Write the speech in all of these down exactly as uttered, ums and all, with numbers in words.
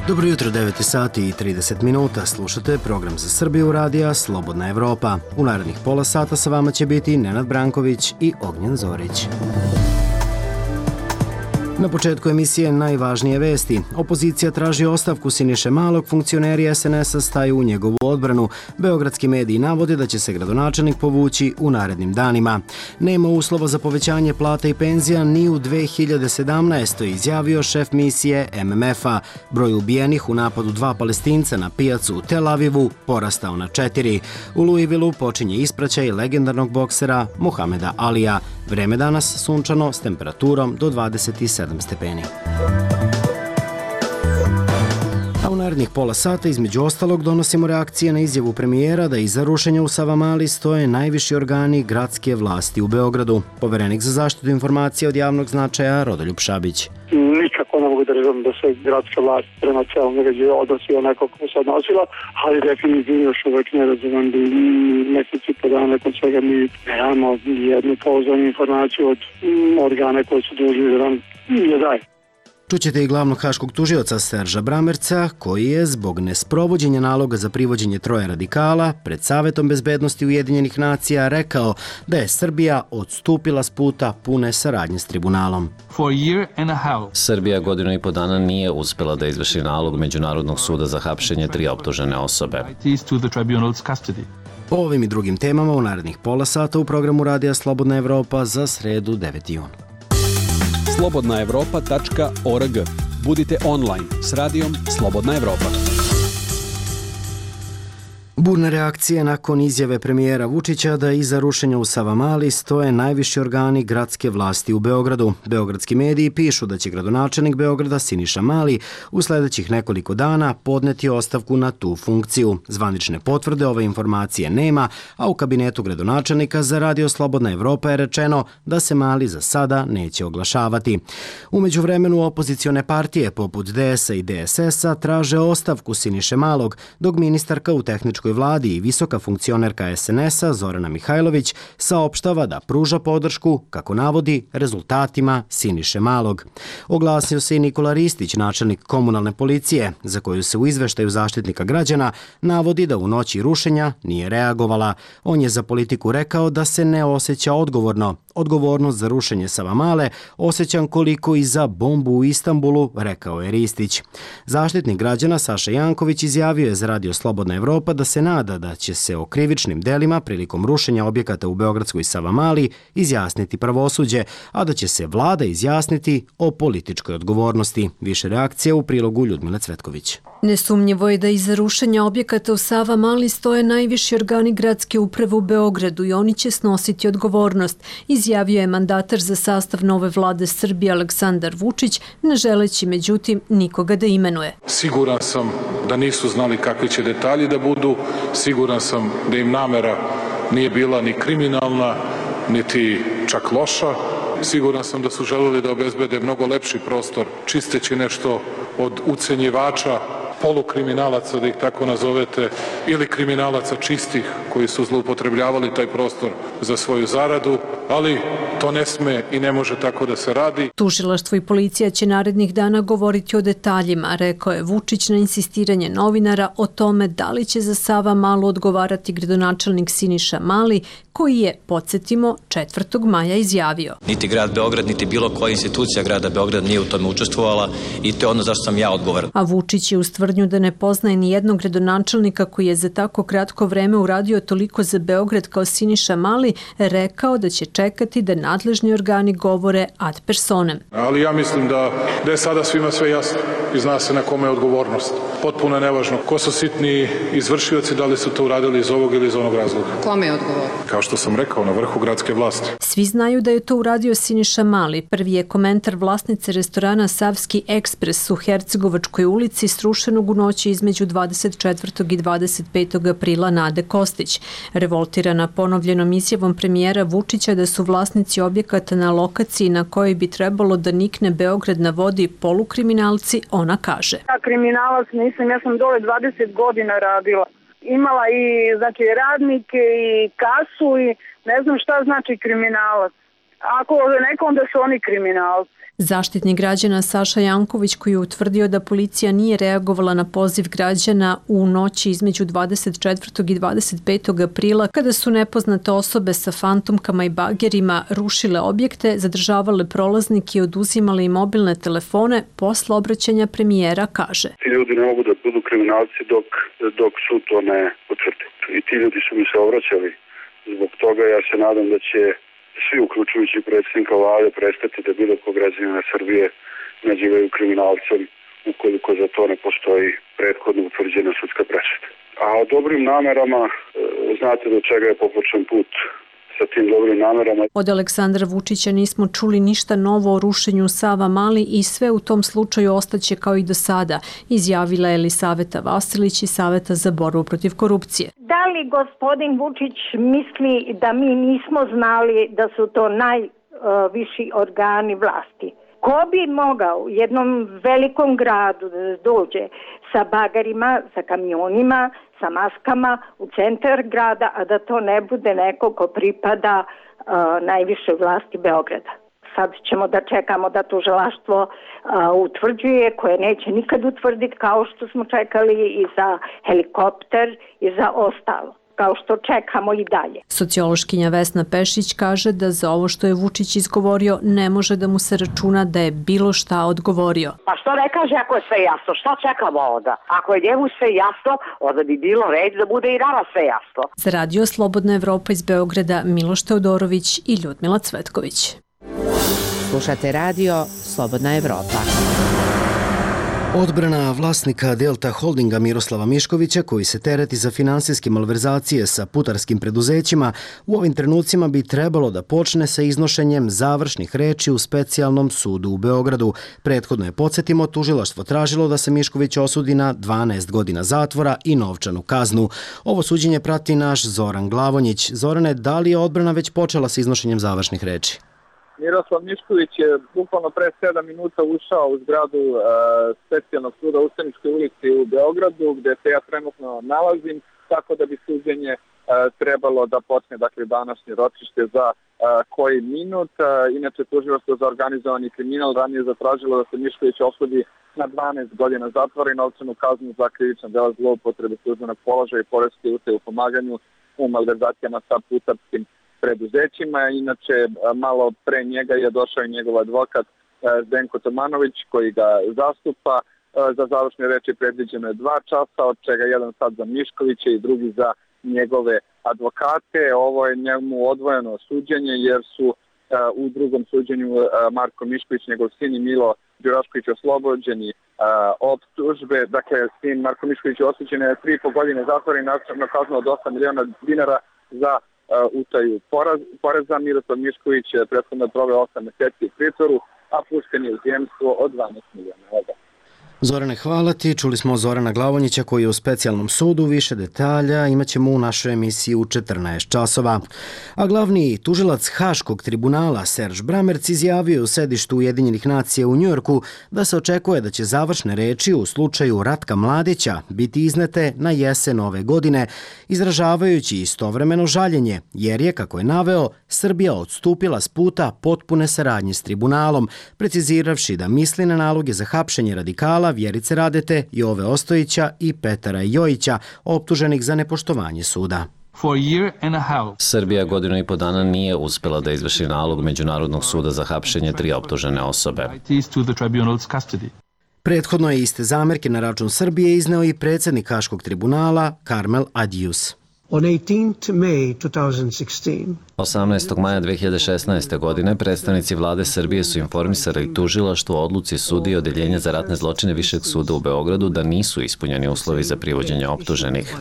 Dobro jutro, devet sati i trideset minuta. Slušate program za Srbiju radija Slobodna Evropa. U narednih pola sata sa vama će biti Nenad Branković i Ognjen Zorić. Na početku emisije najvažnije vesti. Opozicija traži ostavku Siniše Malog, funkcioneri es en es a staju u njegovu odbranu. Beogradski mediji navode da će se gradonačelnik povući u narednim danima. Nema uslova za povećanje plata i penzija ni u dve hiljade sedamnaestoj. izjavio šef misije em em ef a. Broj ubijenih u napadu dva Palestinca na pijacu u Tel Avivu porastao na četiri. U Louisvilleu počinje ispraćaj legendarnog boksera Muhameda Alija. Vreme danas sunčano s temperaturom do dvadeset sedam stepeni. A u narednih pola sata između ostalog donosimo reakcije na izjavu premijera da iza rušenja u Savamali stoje najviši organi gradske vlasti u Beogradu. Poverenik za zaštitu informacija od javnog značaja Rodoljub Šabić. Nikako ne mogu da razumem da se gradska vlast prema celom događaju odnosi onako kako se odnosila, ali definitivno još uvek ne razumem da meseci po dana nakon svega mi nemamo jednu pouzdanu informaciju od organe koji su dužni da nam je daje. Čućete i glavnog haškog tužioca Serža Bramerca, koji je zbog nesprovođenja naloga za privođenje troje radikala pred Savetom bezbednosti Ujedinjenih nacija rekao da je Srbija odstupila s puta pune saradnje s tribunalom. Srbija godinu i po dana nije uspela da izvrši nalog Međunarodnog suda za hapšenje tri optužene osobe. O ovim i drugim temama u narednih pola sata u programu Radija Slobodna Evropa za sredu deveti jun. slobodna evropa tačka org. Budite online s radijom Slobodna Evropa. Burne reakcije nakon izjave premijera Vučića da iza rušenja u Savamali stoje najviši organi gradske vlasti u Beogradu. Beogradski mediji pišu da će gradonačelnik Beograda Siniša Mali u sledećih nekoliko dana podneti ostavku na tu funkciju. Zvanične potvrde ove informacije nema, a u kabinetu gradonačelnika za Radio Slobodna Evropa je rečeno da se Mali za sada neće oglašavati. U međuvremenu opozicione partije poput de es a i de es es a traže ostavku Siniše Malog, dok ministarka u tehničkoj vladi i visoka funkcionerka es en es a Zorana Mihajlović saopštava da pruža podršku, kako navodi, rezultatima Siniše Malog. Oglasio se i Nikola Ristić, načelnik komunalne policije, za koju se u izveštaju Zaštitnika građana navodi da u noći rušenja nije reagovala. On je za Politiku rekao da se ne osjeća odgovorno. Odgovornost za rušenje Savamale osjećam koliko i za bombu u Istanbulu, rekao je Ristić. Zaštitnik građana Saša Janković izjavio je za Radio Slobodna Evropa da se nada da će se o krivičnim delima prilikom rušenja objekata u beogradskoj Savamali izjasniti pravosuđe, a da će se vlada izjasniti o političkoj odgovornosti. Više reakcija u prilogu Ljudmile Cvetković. Nesumnjivo je da iza rušenja objekata u Savamali stoje najviši organi gradske uprave u Beogradu i oni će snositi odgovornost, izjavio je mandatar za sastav nove vlade Srbije Aleksandar Vučić, ne želeći međutim nikoga da imenuje. Siguran sam da nisu znali kakvi će detalji da budu, siguran sam da im namera nije bila ni kriminalna, niti čak loša. Siguran sam da su želeli da obezbede mnogo lepši prostor, čisteći nešto od ucenjivača, polukriminalaca, da ih tako nazovete, ili kriminalaca čistih koji su zloupotrebljavali taj prostor za svoju zaradu, ali to ne sme i ne može tako da se radi. Tužilaštvo i policija će narednih dana govoriti o detaljima, rekao je Vučić na insistiranje novinara o tome da li će za Savamalu odgovarati gradonačelnik Siniša Mali, koji je, podsjetimo, četvrtog maja izjavio. Niti grad Beograd, niti bilo koja institucija grada Beograd nije u tome učestvovala i to je ono zašto sam ja odgovoran. A Vučić je uz tvrdnju da ne poznaje ni jednog gradonačelnika koji je za tako kratko vreme uradio toliko za Beograd kao Siniša Mali, rekao da će čekati da nadležni organi govore ad personem. Ali ja mislim da, da je sada svima sve jasno i zna se na kome je odgovornost. Potpuno je nevažno ko su sitni izvršioci, da li su to uradili iz ovog ili iz onog razloga. Kome je odgovor? Kao što sam rekao, na vrhu gradske vlasti. Svi znaju da je to uradio Siniša Mali. Prvi je komentar vlasnice restorana Savski ekspres u Hercegovačkoj ulici srušenog u noći između dvadeset četvrtog i dvadeset petog aprila Nade Kostić. Revoltirana ponovljenom izjavom premijera Vučića da su vlasnici objekata na lokaciji na kojoj bi trebalo da nikne Beograd na vodi polukriminalci, ona kaže. Ja kriminalac nisam, ja sam dole dvadeset godina radila. Imala i znači radnike i kasu i ne znam šta znači kriminalac. Ako nekom da su oni kriminalci. Zaštitnik građana Saša Janković, koji je utvrdio da policija nije reagovala na poziv građana u noći između dvadeset četvrtog i dvadeset petog aprila, kada su nepoznate osobe sa fantomkama i bagerima rušile objekte, zadržavale prolaznike i oduzimale im mobilne telefone, posle obraćanja premijera kaže: Ti ljudi ne mogu da budu kriminalci dok, dok sud to ne potvrdi. I ti ljudi su mi se obraćali. Zbog toga ja se nadam da će svi, uključujući predsjednika vlade, prestati da bilo kog građanina Srbije nazivaju kriminalcem ukoliko za to ne postoji prethodno utvrđena sudska presuda. A o dobrim namerama, znate do čega je popočen put sa tim dobrim namerama. Od Aleksandra Vučića nismo čuli ništa novo o rušenju Savamale i sve u tom slučaju ostaće kao i do sada, izjavila je Elisaveta Vasilić iz Saveta za borbu protiv korupcije. Da li gospodin Vučić misli da mi nismo znali da su to najviši organi vlasti? Ko bi mogao u jednom velikom gradu da dođe sa bagarima, sa kamionima, sa maskama u centar grada, a da to ne bude neko ko pripada uh, najvišoj vlasti Beograda? Sad ćemo da čekamo da tužilaštvo uh, utvrđuje, koje neće nikad utvrditi, kao što smo čekali i za helikopter i za ostalo, kao što čekamo i dalje. Sociološkinja Vesna Pešić kaže da za ovo što je Vučić izgovorio ne može da mu se računa da je bilo šta odgovorio. Pa što ne kaže ako je sve jasno? Šta čekamo onda? Ako je njemu sve jasno, onda bi bilo red da bude i nama sve jasno. Za Radio Slobodna Evropa iz Beograda, Miloš Teodorović i Ljudmila Cvetković. Slušate radio Slobodna Evropa. Odbrana vlasnika Delta Holdinga Miroslava Miškovića, koji se tereti za finansijske malverzacije sa putarskim preduzećima, u ovim trenucima bi trebalo da počne sa iznošenjem završnih reči u specijalnom sudu u Beogradu. Prethodno je, podsjetimo, tužilaštvo tražilo da se Mišković osudi na dvanaest godina zatvora i novčanu kaznu. Ovo suđenje prati naš Zoran Glavonjić. Zorane, da li je odbrana već počela sa iznošenjem završnih reči? Miroslav Mišković je bukvalno pre sedam minuta ušao u zgradu e, specijalnog suda u Ustaničkoj ulici u Beogradu, gde se ja trenutno nalazim, tako da bi suđenje e, trebalo da počne, dakle, današnje ročište za e, koji minut. E, inače, tužilaštvo za organizovani kriminal ranije zatražilo da se Mišković osudi na dvanaest godina zatvora i novčanu kaznu za krivična dela zloupotrebe službenog položaja i poreske utaje u pomaganju u malverzacijama sa putarskim preduzećima. Inače, malo pre njega je došao i njegov advokat Zdenko Tomanović, koji ga zastupa. Za završne reči predviđeno je dva časa, od čega jedan sad za Miškovića i drugi za njegove advokate. Ovo je njemu odvojeno suđenje, jer su u drugom suđenju Marko Mišković, njegov sin i Milo Đurašković oslobođeni optužbe. Dakle, sin Marko Mišković je osuđen na tri i po godine zatvora i novčanu kaznu od osam miliona dinara za utaju poreza. Miroslav Mišković je prethodno proveo osam meseci u pritvoru, a pušten je u zemstvo od dvanaest miliona evra. Zorane, hvala ti. Čuli smo Zorana Glavonjića, koji je u specijalnom sudu. Više detalja imat ćemo u našoj emisiji u četrnaest časova. A glavni tužilac Haškog tribunala Serž Bramerc izjavio u sedištu Ujedinjenih nacija u Njujorku da se očekuje da će završne reči u slučaju Ratka Mladića biti iznete na jesen ove godine, izražavajući istovremeno žaljenje, jer je, kako je naveo, Srbija odstupila s puta potpune saradnje s tribunalom, preciziravši da misli na naloge za hapšenje radikala Vjerice Radete, Jove Ostojića i Petara Jojića, optuženih za nepoštovanje suda. Srbija godinu i po dana nije uspela da izvrši nalog Međunarodnog suda za hapšenje tri optužene osobe. Prethodno je iste zamerke na račun Srbije izneo i predsjednik Haškog tribunala Karmel Adjus. osamnaestog maja dve hiljade šesnaeste. godine predstavnici vlade Srbije su informisali tužilaštvo o odluci sudije i odeljenja za ratne zločine Višeg suda u Beogradu da nisu ispunjeni uslovi za privođenje optuženih.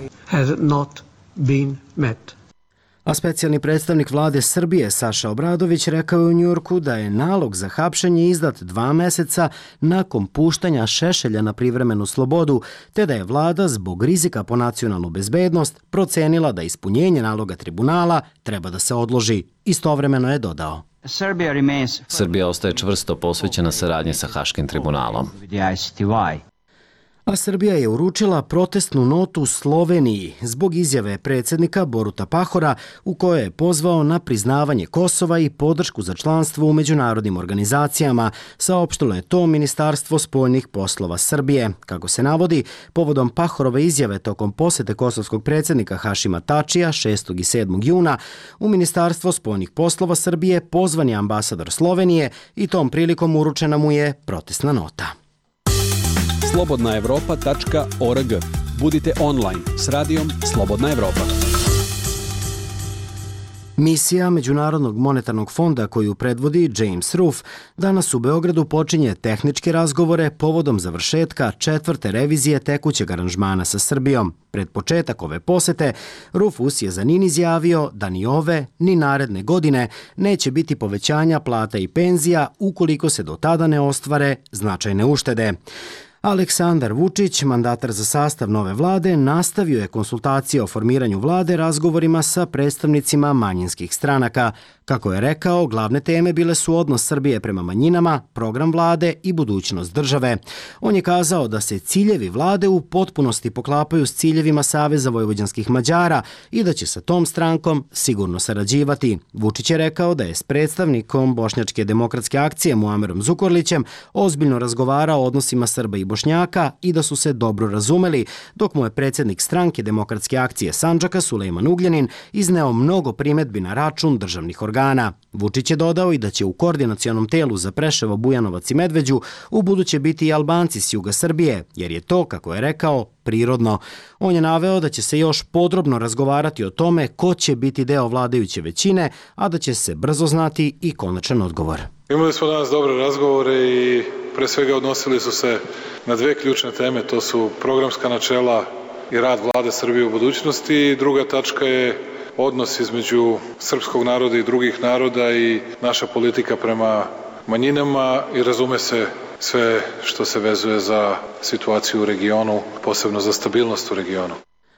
A specijalni predstavnik vlade Srbije Saša Obradović rekao je u Njujorku da je nalog za hapšenje izdat dva meseca nakon puštanja Šešelja na privremenu slobodu, te da je vlada zbog rizika po nacionalnu bezbednost procenila da ispunjenje naloga tribunala treba da se odloži. Istovremeno je dodao: Srbija ostaje čvrsto posvećena saradnji sa Haškim tribunalom. A Srbija je uručila protestnu notu Sloveniji zbog izjave predsjednika Boruta Pahora u kojoj je pozvao na priznavanje Kosova i podršku za članstvo u međunarodnim organizacijama, saopštilo je to Ministarstvo spoljnih poslova Srbije. Kako se navodi, povodom Pahorove izjave tokom posete kosovskog predsjednika Hašima Tačija šestog i sedmog juna, u Ministarstvo spoljnih poslova Srbije pozvan je ambasador Slovenije i tom prilikom uručena mu je protestna nota. slobodna evropa tačka org. Budite online s radijom Slobodna Evropa. Misija Međunarodnog monetarnog fonda koju predvodi James Ruff danas u Beogradu počinje tehničke razgovore povodom završetka četvrte revizije tekućeg aranžmana sa Srbijom. Pred početak ove posete, Rufus je za N I N izjavio da ni ove, ni naredne godine neće biti povećanja plata i penzija ukoliko se do tada ne ostvare značajne uštede. Aleksandar Vučić, mandatar za sastav nove vlade, nastavio je konsultacije o formiranju vlade razgovorima sa predstavnicima manjinskih stranaka. Kako je rekao, glavne teme bile su odnos Srbije prema manjinama, program vlade i budućnost države. On je kazao da se ciljevi vlade u potpunosti poklapaju s ciljevima Saveza vojvođanskih Mađara i da će sa tom strankom sigurno sarađivati. Vučić je rekao da je s predstavnikom Bošnjačke demokratske akcije Muamerom Zukorlićem ozbiljno razgovarao o odnosima Srba i Bošnjaka i da su se dobro razumeli, dok mu je predsjednik stranke Demokratske akcije Sandžaka Sulejman Ugljanin izneo mnogo primedbi na račun državnih organa. Vučić je dodao i da će u koordinacionom telu za Preševo, Bujanovac i Medveđu u buduće biti i Albanci s juga Srbije, jer je to, kako je rekao, prirodno. On je naveo da će se još podrobno razgovarati o tome ko će biti deo vladajuće većine, a da će se brzo znati i konačan odgovor. Imali smo danas dobre razgovore i pre svega odnosili su se na dve ključne teme, to su programska načela i rad vlade Srbije u budućnosti i druga tačka je odnos između srpskog naroda i drugih naroda i naša politika prema manjinama i razume se sve što se vezuje za situaciju u regionu, posebno za stabilnost u regionu.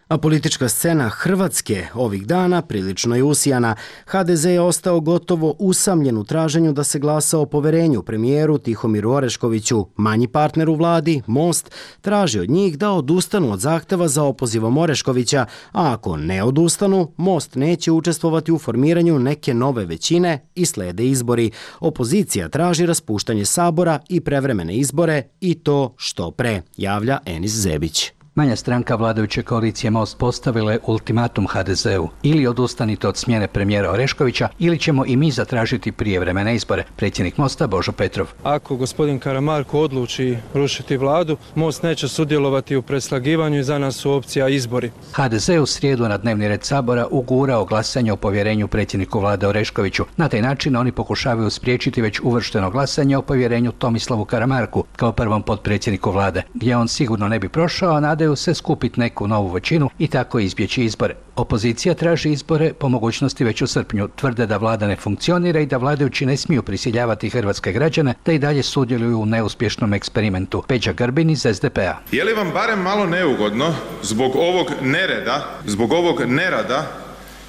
A politička scena Hrvatske ovih dana prilično je usijana. ha de ze je ostao gotovo usamljen u traženju da se glasa o poverenju premijeru Tihomiru Oreškoviću. Manji partner u vladi, Most, traži od njih da odustanu od zahteva za opozivom Oreškovića, a ako ne odustanu, Most neće učestvovati u formiranju neke nove većine i slede izbori. Opozicija traži raspuštanje sabora i prevremene izbore i to što pre, javlja Enis Zebić. Manja stranka vladajuće koalicije Most postavila je ultimatum ha de zeu. Ili odustanite od smjene premijera Oreškovića, ili ćemo i mi zatražiti prijevremene izbore. Predsjednik Mosta Božo Petrov. Ako gospodin Karamarko odluči rušiti vladu, Most neće sudjelovati u preslagivanju i za nas su opcija izbori. ha de ze u srijedu na dnevni red Sabora ugurao glasanje o povjerenju predsjedniku vlade Oreškoviću. Na taj način oni pokušavaju spriječiti već uvršteno glasanje o povjerenju Tomislavu Karamarku kao prvom potpredsjedniku vlade, gdje on sigurno ne bi prošao, a nadaju se skupiti neku novu većinu i tako izbjeći izbore. Opozicija traži izbore po mogućnosti već u srpnju. Tvrde da vlada ne funkcionira i da vladajući ne smiju prisiljavati hrvatske građane da i dalje sudjeluju u neuspješnom eksperimentu. Peđa Grbin iz es de pe a. Je li vam barem malo neugodno zbog ovog nereda, zbog ovog nerada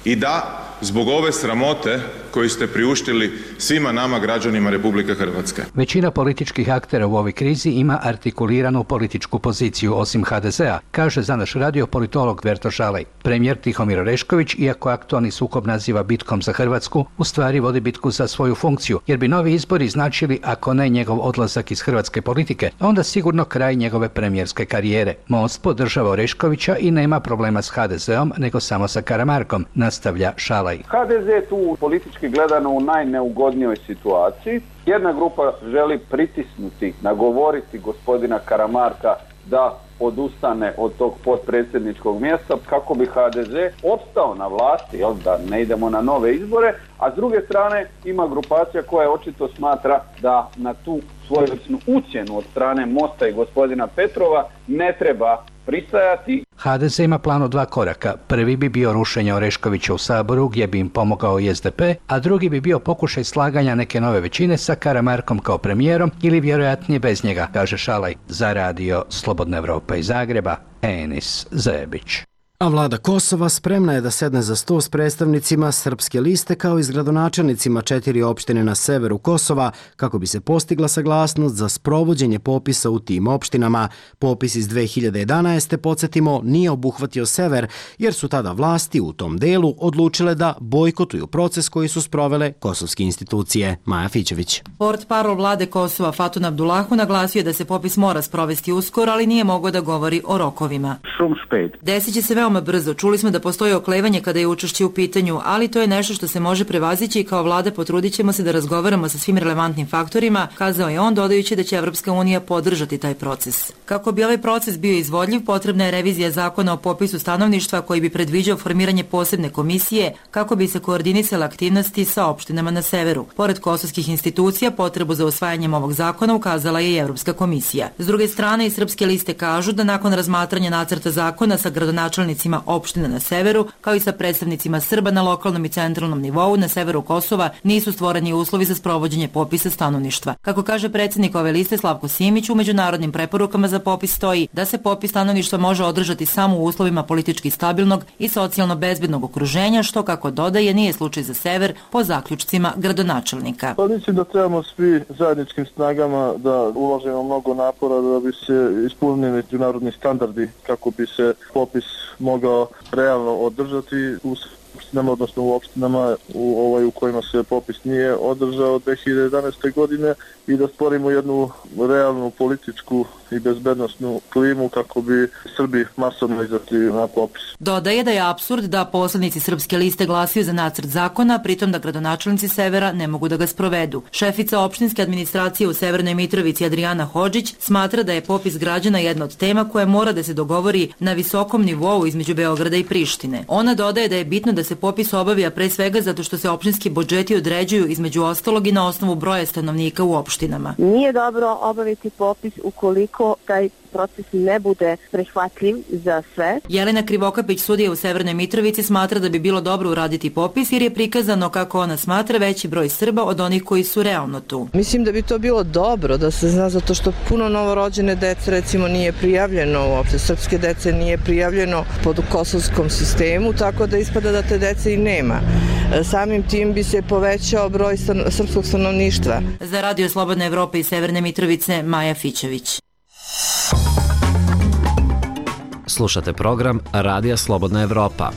i da zbog ove sramote koju ste priuštili svima nama građanima Republike Hrvatske? Većina političkih aktera u ovoj krizi ima artikuliranu političku poziciju osim ha de zea, kaže za naš radio politolog Verto Šalaj. Premijer Tihomir Orešković, iako aktualni sukob naziva bitkom za Hrvatsku, u stvari vodi bitku za svoju funkciju, jer bi novi izbori značili, ako ne njegov odlazak iz hrvatske politike, onda sigurno kraj njegove premijerske karijere. Most podržava Oreškovića i nema problema s ha de zeom, nego samo sa Karamarkom, nastavlja Šalaj. ha de ze tu politički gledano u najneugodnijoj situaciji. Jedna grupa želi pritisnuti, nagovoriti gospodina Karamarka da odustane od tog potpredsjedničkog mjesta kako bi ha de ze opstao na vlasti, jel, da ne idemo na nove izbore, a s druge strane ima grupacija koja očito smatra da na tu svojevrsnu ucjenu od strane Mosta i gospodina Petrova ne treba pristajati. ha de ze ima plan od dva koraka. Prvi bi bio rušenje Oreškovića u Saboru gdje bi im pomogao i es de pe, a drugi bi bio pokušaj slaganja neke nove većine sa Karamarkom kao premijerom ili vjerojatnije bez njega, kaže Šalaj. Za radio Slobodna Evropa iz Zagreba, Enis Zebić. A vlada Kosova spremna je da sedne za sto s predstavnicima Srpske liste kao i s gradonačelnicima četiri opštine na severu Kosova kako bi se postigla saglasnost za sprovođenje popisa u tim opštinama. Popis iz dve hiljade jedanaeste. podsjetimo, nije obuhvatio sever jer su tada vlasti u tom delu odlučile da bojkotuju proces koji su sprovele kosovske institucije. Maja Fićević. Portparol vlade Kosova Fatun Abdullahu naglasio da se popis mora sprovesti uskoro, ali nije mogao da govori o rokovima. Desit će se veoma brzo. Čuli smo da postoji oklevanje kada je učešće u pitanju, ali to je nešto što se može prevazići i kao vlada potrudit ćemo se da razgovaramo sa svim relevantnim faktorima, kazao je on, dodajući da će Evropska unija podržati taj proces. Kako bi ovaj proces bio izvodljiv, potrebna je revizija zakona o popisu stanovništva koji bi predviđao formiranje posebne komisije kako bi se koordinisale aktivnosti sa opštinama na severu. Pored kosovskih institucija, potrebu za usvajanjem ovog zakona ukazala je i Evropska komisija. S druge strane, i Srpske liste kažu da nakon razmatranja nacrta zakona sa gradonačelnicima opština na severu, kao i sa predstavnicima Srba na lokalnom i centralnom nivou na severu Kosova, nisu stvoreni uslovi za sprovođenje popisa stanovništva. Kako kaže predsjednik ove liste Slavko Simić, u međunarodnim preporukama za popis stoji da se popis stanovništva može održati samo u uslovima politički stabilnog i socijalno bezbednog okruženja, što, kako dodaje, nije slučaj za sever po zaključcima gradonačelnika. Pa mislim da trebamo svi zajedničkim snagama da uložimo mnogo napora da bi se ispunili međunarodni standardi kako bi se popis mogao realno održati u opštinama, odnosno u opštinama u, ovaj, u kojima se popis nije održao dve hiljade jedanaeste. godine i da stvorimo jednu realnu političku i bezbednosnu klimu kako bi Srbi masovno izašli na popis. Dodaje da je apsurd da poslanici Srpske liste glasaju za nacrt zakona, pritom da gradonačelnici severa ne mogu da ga sprovedu. Šefica opštinske administracije u Severnoj Mitrovici Adriana Hodžić smatra da je popis građana jedna od tema koja mora da se dogovori na visokom nivou između Beograda i Prištine. Ona dodaje da je bitno da se popis obavi, a pre svega zato što se opštinski budžeti određuju između ostalog i na osnovu broja stanovnika u opštinama. Nije dobro obaviti popis ukoliko taj proces ne bude prihvatljiv za sve. Jelena Krivokapić, sudija u Severnoj Mitrovici, smatra da bi bilo dobro uraditi popis jer je prikazano, kako ona smatra, veći broj Srba od onih koji su realno tu. Mislim da bi to bilo dobro da se zna, zato što puno novorođene dece recimo nije prijavljeno uopšte, srpske dece nije prijavljeno pod kosovskom sistemu, tako da ispada da te dece i nema. Samim tim bi se povećao broj srpskog stanovništva. Za Radio Slobodna Evropa iz Severne Mitrovice, Maja Fićević. Slušate program Radija Slobodna Evropa.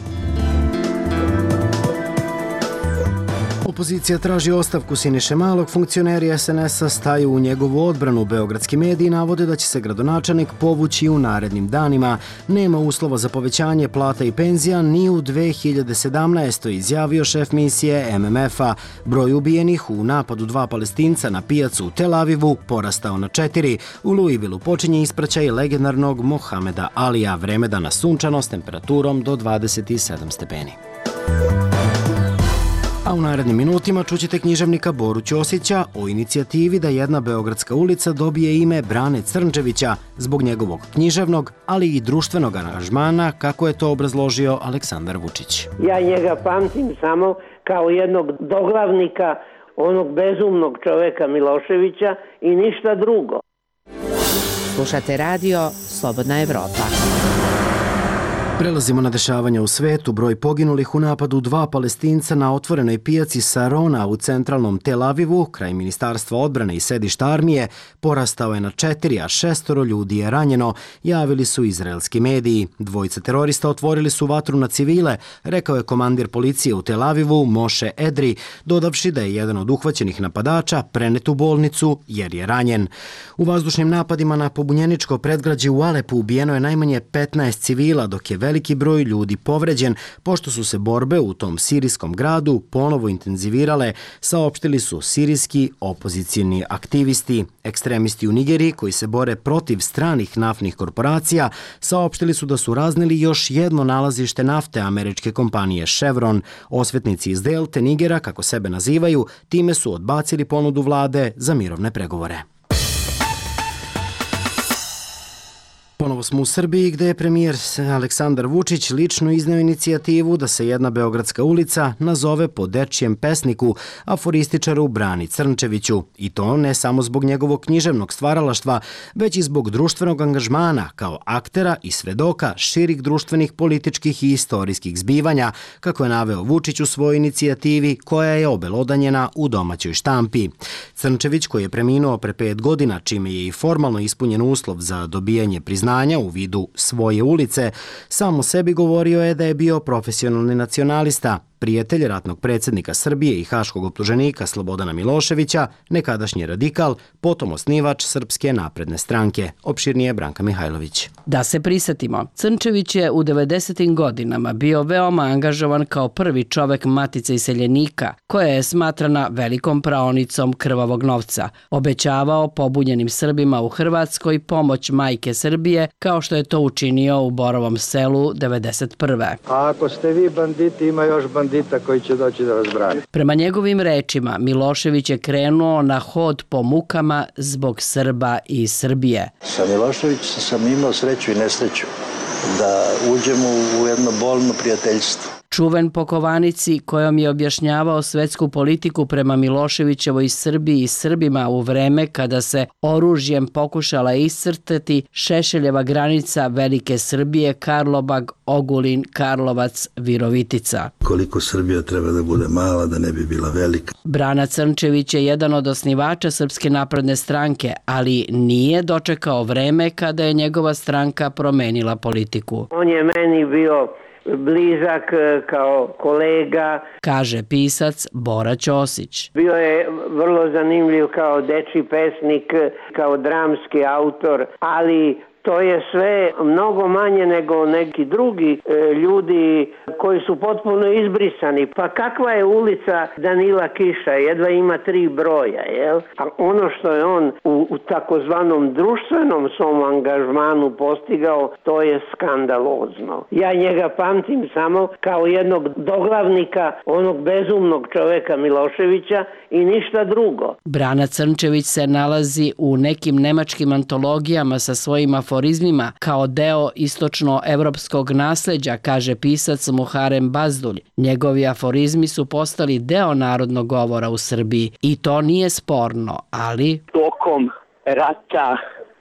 Opozicija traži ostavku Siniše Malog, funkcioneri es en es a staju u njegovu odbranu. Beogradski mediji navode da će se gradonačelnik povući u narednim danima. Nema uslova za povećanje plata i penzija ni u dve hiljade sedamnaestoj. izjavio šef misije em em ef a. Broj ubijenih u napadu dva Palestinca na pijacu u Tel Avivu porastao na četiri. U Louisvilleu počinje ispraćaj legendarnog Mohameda Alija, vreme dana sunčano s temperaturom do dvadeset sedam stepeni. A u narednim minutima čućete književnika Boru Ćosića o inicijativi da jedna beogradska ulica dobije ime Brane Crnčevića zbog njegovog književnog, ali i društvenog aranžmana, kako je to obrazložio Aleksandar Vučić. Ja njega pamtim samo kao jednog doglavnika, onog bezumnog čoveka Miloševića i ništa drugo. Slušate radio Slobodna Evropa. Prelazimo na dešavanja u svetu. Broj poginulih u napadu dva Palestinca na otvorenoj pijaci Sarona u centralnom Tel Avivu, kraj Ministarstva odbrane i sedišta armije, porastao je na četiri, a šestoro ljudi je ranjeno, javili su izraelski mediji. Dvojica terorista otvorili su vatru na civile, rekao je komandir policije u Tel Avivu Moše Edri, dodavši da je jedan od uhvaćenih napadača prenet u bolnicu jer je ranjen. U vazdušnim napadima na pobunjeničko predgrađe u Alepu ubijeno je najmanje petnaest civila, dok je veliki broj ljudi povređen, pošto su se borbe u tom sirijskom gradu ponovo intenzivirale, saopštili su sirijski opozicijni aktivisti. Ekstremisti u Nigeriji, koji se bore protiv stranih naftnih korporacija, saopštili su da su razneli još jedno nalazište nafte američke kompanije Chevron. Osvetnici iz Delte Nigera, kako sebe nazivaju, time su odbacili ponudu vlade za mirovne pregovore. Ponovo smo u Srbiji gde je premijer Aleksandar Vučić lično izneo inicijativu da se jedna beogradska ulica nazove po dečijem pesniku, aforističaru Brani Crnčeviću. I to ne samo zbog njegovog književnog stvaralaštva, već i zbog društvenog angažmana kao aktera i svedoka širih društvenih, političkih i istorijskih zbivanja, kako je naveo Vučić u svojoj inicijativi koja je obelodanjena u domaćoj štampi. Crnčević, koji je preminuo pre pet godina, čime je i formalno ispunjen uslov za dobijanje priznanja u vidu svoje ulice, samo sebi govorio je da je bio profesionalni nacionalista, prijatelj ratnog predsjednika Srbije i haškog optuženika Slobodana Miloševića, nekadašnji radikal, potom osnivač Srpske napredne stranke. Opširnije Branka Mihajlović. Da se prisjetimo, Crnčević je u devedesetim godinama bio veoma angažovan kao prvi čovek Matice iseljenika, koja je smatrana velikom praonicom krvavog novca. Obećavao pobunjenim Srbima u Hrvatskoj pomoć majke Srbije, kao što je to učinio u Borovom selu devedeset prve. A ako ste vi banditi, ima još bandita koji će doći da vas brani. Prema njegovim rečima, Milošević je krenuo na hod po mukama zbog Srba i Srbije. Sa Miloševićem sam imao sreću i nesreću da uđemo u jedno bolno prijateljstvo. Čuven po kovanici kojom je objašnjavao svetsku politiku prema Miloševićevoj Srbiji i Srbima u vreme kada se oružjem pokušala iscrtati Šešeljeva granica Velike Srbije, Karlobag, Ogulin, Karlovac, Virovitica. Koliko Srbija treba da bude mala, da ne bi bila velika. Brana Crnčević je jedan od osnivača Srpske napredne stranke, ali nije dočekao vreme kada je njegova stranka promenila politiku. On je meni bio blizak kao kolega, kaže pisac Bora Ćosić. Bio je vrlo zanimljiv kao dečiji pesnik, kao dramski autor, ali to je sve mnogo manje nego neki drugi e, ljudi koji su potpuno izbrisani. Pa kakva je ulica Danila Kiša? Jedva ima tri broja, jel? A ono što je on u, u takozvanom društvenom svom angažmanu postigao, to je skandalozno. Ja njega pamtim samo kao jednog doglavnika onog bezumnog čoveka Miloševića i ništa drugo. Brana Crnčević se nalazi u nekim nemačkim antologijama sa svojim aforizmima kao deo istočnoevropskog nasleđa, kaže pisac Muharem Bazdulj. Njegovi aforizmi su postali deo narodnog govora u Srbiji i to nije sporno, ali... Tokom rata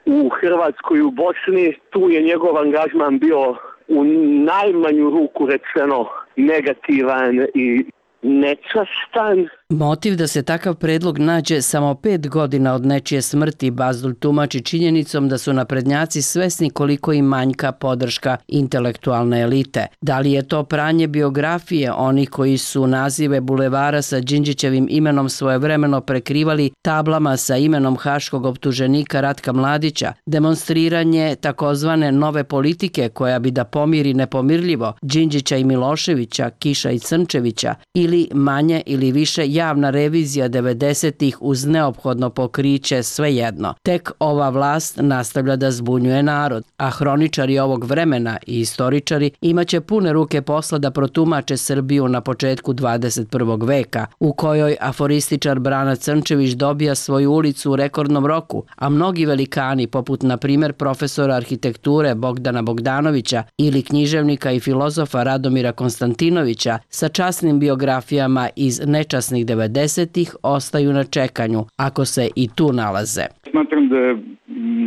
u Hrvatskoj i u Bosni, tu je njegov angažman bio u najmanju ruku rečeno negativan i nečastan. Motiv da se takav predlog nađe samo pet godina od nečije smrti Bazdulj tumači činjenicom da su naprednjaci svesni koliko im manjka podrška intelektualne elite. Da li je to pranje biografije onih koji su nazive bulevara sa Đinđićevim imenom svojevremeno prekrivali tablama sa imenom haškog optuženika Ratka Mladića, demonstriranje takozvane nove politike koja bi da pomiri nepomirljivo Đinđića i Miloševića, Kiša i Crnčevića, ili manje ili više javna revizija devedesetih uz neophodno pokriće, svejedno. Tek ova vlast nastavlja da zbunjuje narod, a hroničari ovog vremena i istoričari imaće pune ruke posla da protumače Srbiju na početku dvadeset prvog veka, u kojoj aforističar Brana Crnčević dobija svoju ulicu u rekordnom roku, a mnogi velikani, poput na primjer profesora arhitekture Bogdana Bogdanovića ili književnika i filozofa Radomira Konstantinovića, sa časnim biografijama iz nečasnih devedesetih ostaju na čekanju, ako se i tu nalaze. Smatram da je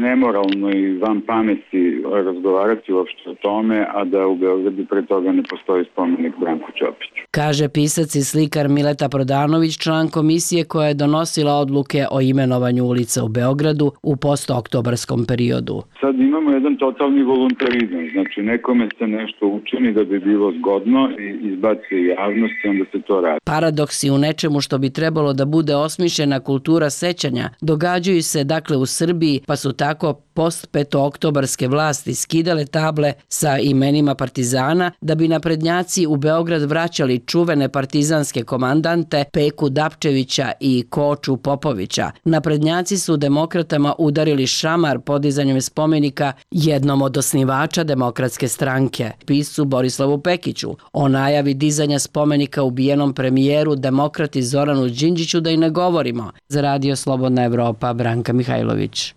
nemoralno i van pameti razgovarati uopšte o tome, a da u Beogradu pre toga ne postoji spomenik Branku Ćopiću. Kaže pisac i slikar Mileta Prodanović, član komisije koja je donosila odluke o imenovanju ulica u Beogradu u postoktobarskom periodu. Sad imamo jedan totalni voluntarizam, znači nekome se nešto učini da bi bilo zgodno i izbaci javnost i onda se to radi. Paradoksi u nečemu što bi trebalo da bude osmišljena kultura sećanja događaju se dakle u Srbiji, pa su tako post-petooktobarske vlasti skidale table sa imenima partizana da bi naprednjaci u Beograd vraćali čuvene partizanske komandante Peku Dapčevića i Koču Popovića. Naprednjaci su demokratama udarili šamar podizanjem spomenika jednom od osnivača Demokratske stranke, piscu Borislavu Pekiću. O najavi dizanja spomenika ubijenom premijeru demokrati Zoranu Đinđiću da i ne govorimo. Za Radio Slobodna Evropa, Branka Mihajlović.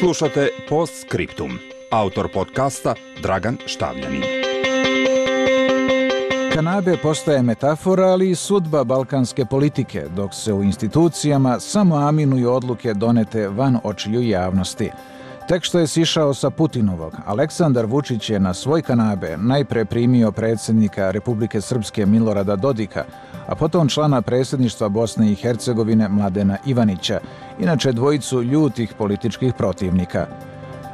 Slušate Post Scriptum. Autor podcasta Dragan Štavljanin. Kanabe postaje metafora, ali i sudba balkanske politike, dok se u institucijama samo aminuju odluke donete van očiju javnosti. Tek što je sišao sa Putinovog, Aleksandar Vučić je na svoj Kanabe najpre primio predsjednika Republike Srpske Milorada Dodika, a potom člana predsjedništva Bosne i Hercegovine Mladena Ivanića, inače dvojicu ljutih političkih protivnika.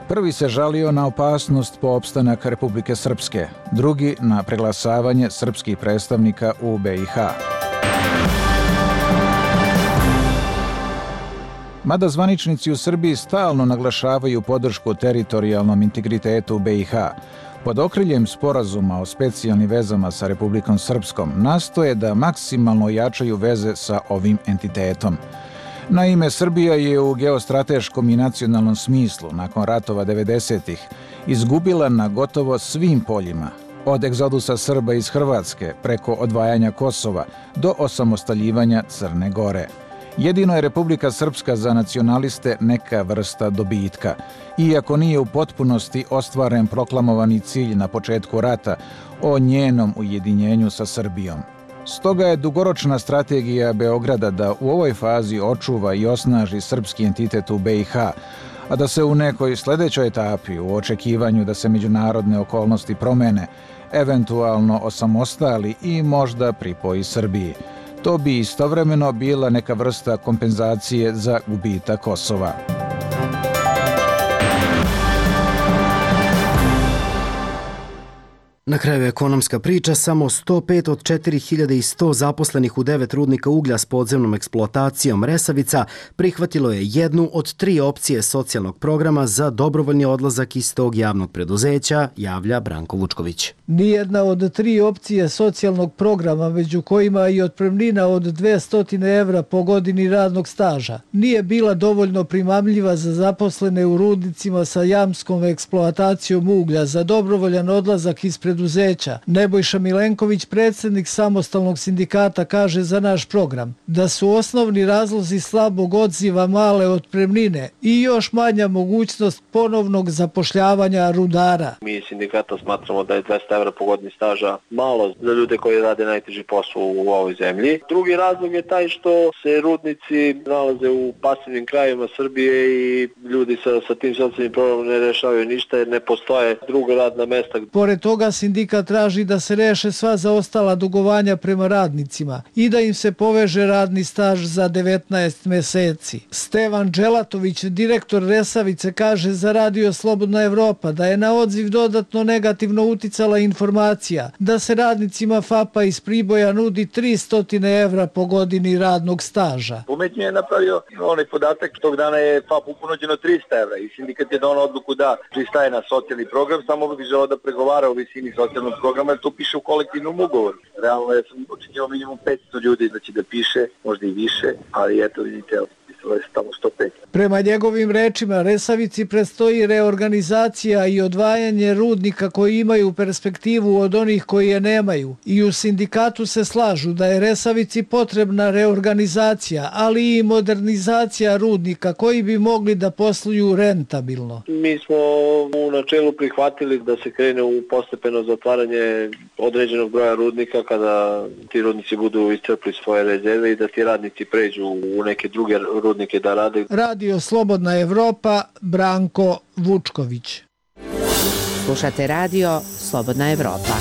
Prvi se žalio na opasnost po opstanak Republike Srpske, drugi na preglasavanje srpskih predstavnika u B i H. Mada zvaničnici u Srbiji stalno naglašavaju podršku teritorijalnom integritetu B i H, pod okriljem sporazuma o specijalnim vezama sa Republikom Srpskom nastoje da maksimalno jačaju veze sa ovim entitetom. Naime, Srbija je u geostrateškom i nacionalnom smislu, nakon ratova devedesetih, izgubila na gotovo svim poljima, od egzodusa Srba iz Hrvatske preko odvajanja Kosova do osamostaljivanja Crne Gore. Jedino je Republika Srpska za nacionaliste neka vrsta dobitka, iako nije u potpunosti ostvaren proklamovani cilj na početku rata o njenom ujedinjenju sa Srbijom. Stoga je dugoročna strategija Beograda da u ovoj fazi očuva i osnaži srpski entitet u B i H, a da se u nekoj sljedećoj etapi, u očekivanju da se međunarodne okolnosti promene, eventualno osamostali i možda pripoji Srbiji. To bi istovremeno bila neka vrsta kompenzacije za gubitak Kosova. Na kraju ekonomska priča, samo sto pet od četiri hiljade sto zaposlenih u devet rudnika uglja s podzemnom eksploatacijom Resavica prihvatilo je jednu od tri opcije socijalnog programa za dobrovoljni odlazak iz tog javnog preduzeća, javlja Branko Vučković. Nijedna od tri opcije socijalnog programa, među kojima i otpremnina od dvesta evra po godini radnog staža, nije bila dovoljno primamljiva za zaposlene u rudnicima sa jamskom eksploatacijom uglja za dobrovoljan odlazak iz preduzeća. Nebojša Milenković, predsjednik samostalnog sindikata, kaže za naš program da su osnovni razlozi slabog odziva male otpremnine i još manja mogućnost ponovnog zapošljavanja rudara. Mi iz sindikata smatramo da je dvesta evra po godini staža malo za ljude koji rade najteži posao u ovoj zemlji. Drugi razlog je taj što se rudnici nalaze u pasivnim krajevima Srbije i ljudi sa, sa tim socijalnim programom ne rešavaju ništa jer ne postoje druga radna mesta. Pored toga, sindikat traži da se reše sva zaostala dugovanja prema radnicima i da im se poveže radni staž za devetnaest meseci. Stevan Dželatović, direktor Resavice, kaže za Radio Slobodna Evropa da je na odziv dodatno negativno uticala informacija da se radnicima F A P-a iz Priboja nudi tristo evra po godini radnog staža. Umetnje je napravio onaj podatak, tog dana je F A P uponuđeno trista evra i sindikat je donao odluku da pristaje na socijalni program, samo bi želeo da pregovara o visini socijalnog programa, jer to piše u kolektivnom ugovoru. Realno ja sam očekivao minimum petsto ljudi da će da piše, možda i više, ali eto vidite, pisalo je tamo sto pet. Prema njegovim rečima, Resavici predstoji reorganizacija i odvajanje rudnika koji imaju perspektivu od onih koji je nemaju. I u sindikatu se slažu da je Resavici potrebna reorganizacija, ali i modernizacija rudnika koji bi mogli da posluju rentabilno. Mi smo u načelu prihvatili da se krene u postepeno zatvaranje određenog broja rudnika kada ti rudnici budu iscrpli svoje rezerve i da ti radnici pređu u neke druge rudnike da rade. Radio Slobodna Evropa, Branko Vučković. Slušate Radio Slobodna Evropa.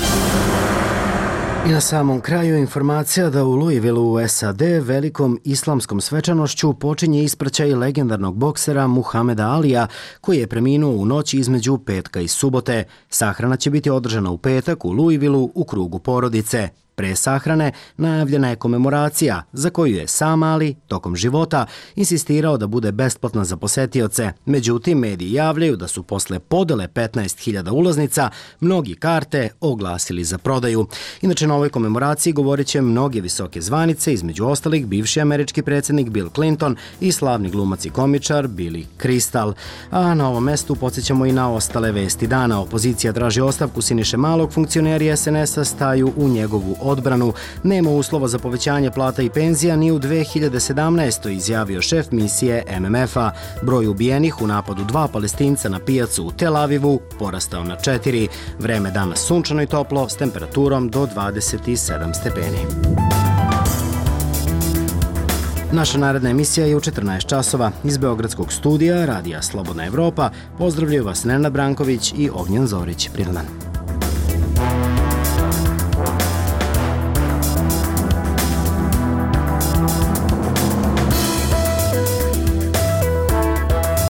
I na samom kraju informacija da u Louisvilleu u S A D velikom islamskom svečanošću počinje ispraćaj legendarnog boksera Muhameda Alija, koji je preminuo u noći između petka i subote. Sahrana će biti održana u petak u Louisvilleu u krugu porodice. Pre sahrane najavljena je komemoracija za koju je sam Ali tokom života insistirao da bude besplatna za posetioce. Međutim, mediji javljaju da su posle podele petnaest hiljada ulaznica mnogi karte oglasili za prodaju. Inače, na ovoj komemoraciji govorit će mnoge visoke zvanice, između ostalih bivši američki predsjednik Bill Clinton i slavni glumac i komičar Billy Crystal. A na ovom mestu podsjećamo i na ostale vesti dana. Opozicija traži ostavku Siniše Malog, funkcioneri S N S-a staju u njegovu odbranu. Nema uslova za povećanje plata i penzija ni u dve hiljade sedamnaestoj. izjavio šef misije M M F-a. Broj ubijenih u napadu dva Palestinca na pijacu u Tel Avivu porastao na četiri. Vreme danas sunčano i toplo s temperaturom do dvadeset sedam stepeni. Naša naredna emisija je u četrnaest časova. Iz Beogradskog studija Radija Slobodna Evropa pozdravljaju vas Nenad Branković i Ognjen Zorić. Prijedan dan.